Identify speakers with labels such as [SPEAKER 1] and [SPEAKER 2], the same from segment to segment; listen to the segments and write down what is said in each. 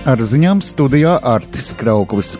[SPEAKER 1] Ar ziņām studijā Artis Krauklis.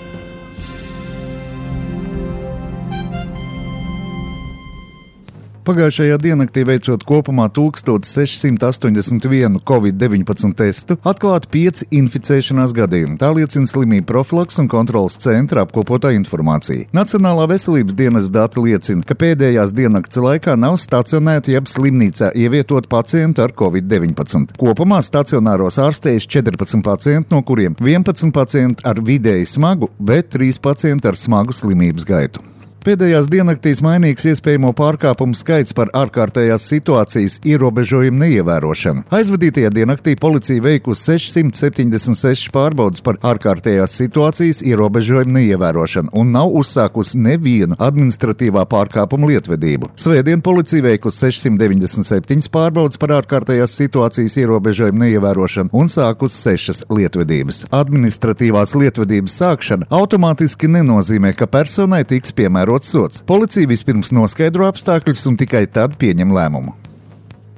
[SPEAKER 1] Pagājušajā diennaktī veicot kopumā 1681 Covid-19 testu, atklāti 5 inficēšanās gadījumi. Tā liecina Slimību profilakses un kontroles centra apkopotā informācija. Nacionālā veselības dienesta dati liecina, ka pēdējās diennakts laikā nav stacionēti jeb slimnīcā ievietot pacientu ar Covid-19. Kopumā stacionāros ārstējuši 14 pacienti, no kuriem 11 pacienti ar vidēji smagu, bet 3 pacienti ar smagu slimības gaitu. Pēdējās diennaktīs mainīgs iespējamo pārkāpumu skaits par ārkārtējās situācijas ierobežojumu neievērošanu. Aizvadītajā diennaktī policija veikusi 676 pārbaudes par ārkārtējās situācijas ierobežojumu neievērošanu un nav uzsākusi nevienu administratīvā pārkāpumu lietvedību. Svētdien policija veikusi 697 pārbaudes par ārkārtējās situācijas ierobežojumu neievērošanu un sākusi 6 lietvedības. Administratīvās lietvedības sākšana automātiski nenozīmē, ka personai tiks piemērots sots. Policija vispirms noskaidro apstākļus un tikai tad pieņem lēmumu.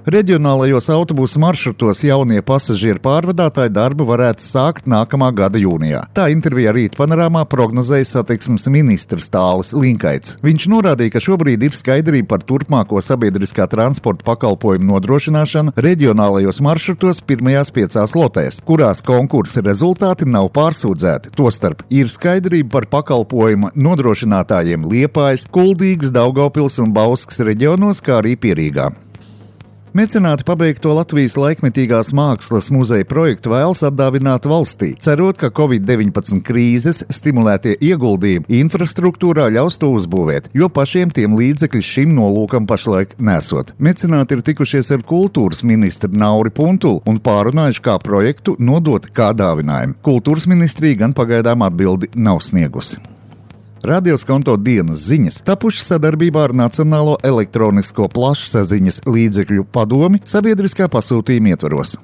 [SPEAKER 1] Reģionālajos autobusu maršrutos jaunie pasažieru pārvadātāji darbu varētu sākt nākamā gada jūnijā. Tā intervijā Rīta panorāmā prognozēja satiksmes ministrs Tālis Linkaits. Viņš norādīja, ka šobrīd ir skaidrība par turpmāko sabiedriskā transporta pakalpojumu nodrošināšanu reģionālajos maršrutos pirmajās 5 lotēs, kurās konkursa rezultāti nav pārsūdzēti. Tostarp ir skaidrība par pakalpojumu nodrošinātājiem Liepājas, Kuldīgas, Daugavpils un Bauskas reģionos, kā arī Pierīgā. Mecenāti pabeigto Latvijas laikmetīgās mākslas muzeja projektu vēlas atdāvināt valstī, cerot, ka Covid-19 krīzes stimulētie ieguldījumi infrastruktūrā ļaus to uzbūvēt, jo pašiem tiem līdzekļi šim nolūkam pašlaik nesot. Mecenāti ir tikušies ar kultūras ministru Nauri Puntulu un pārunājuši, kā projektu nodot kā dāvinājumu. Kultūras ministrija gan pagaidām atbildi nav sniegusi. Radio Skonto dienas ziņas tapušas sadarbībā ar Nacionālo elektronisko plašsaziņas līdzekļu padomi sabiedriskā pasūtījuma ietvaros.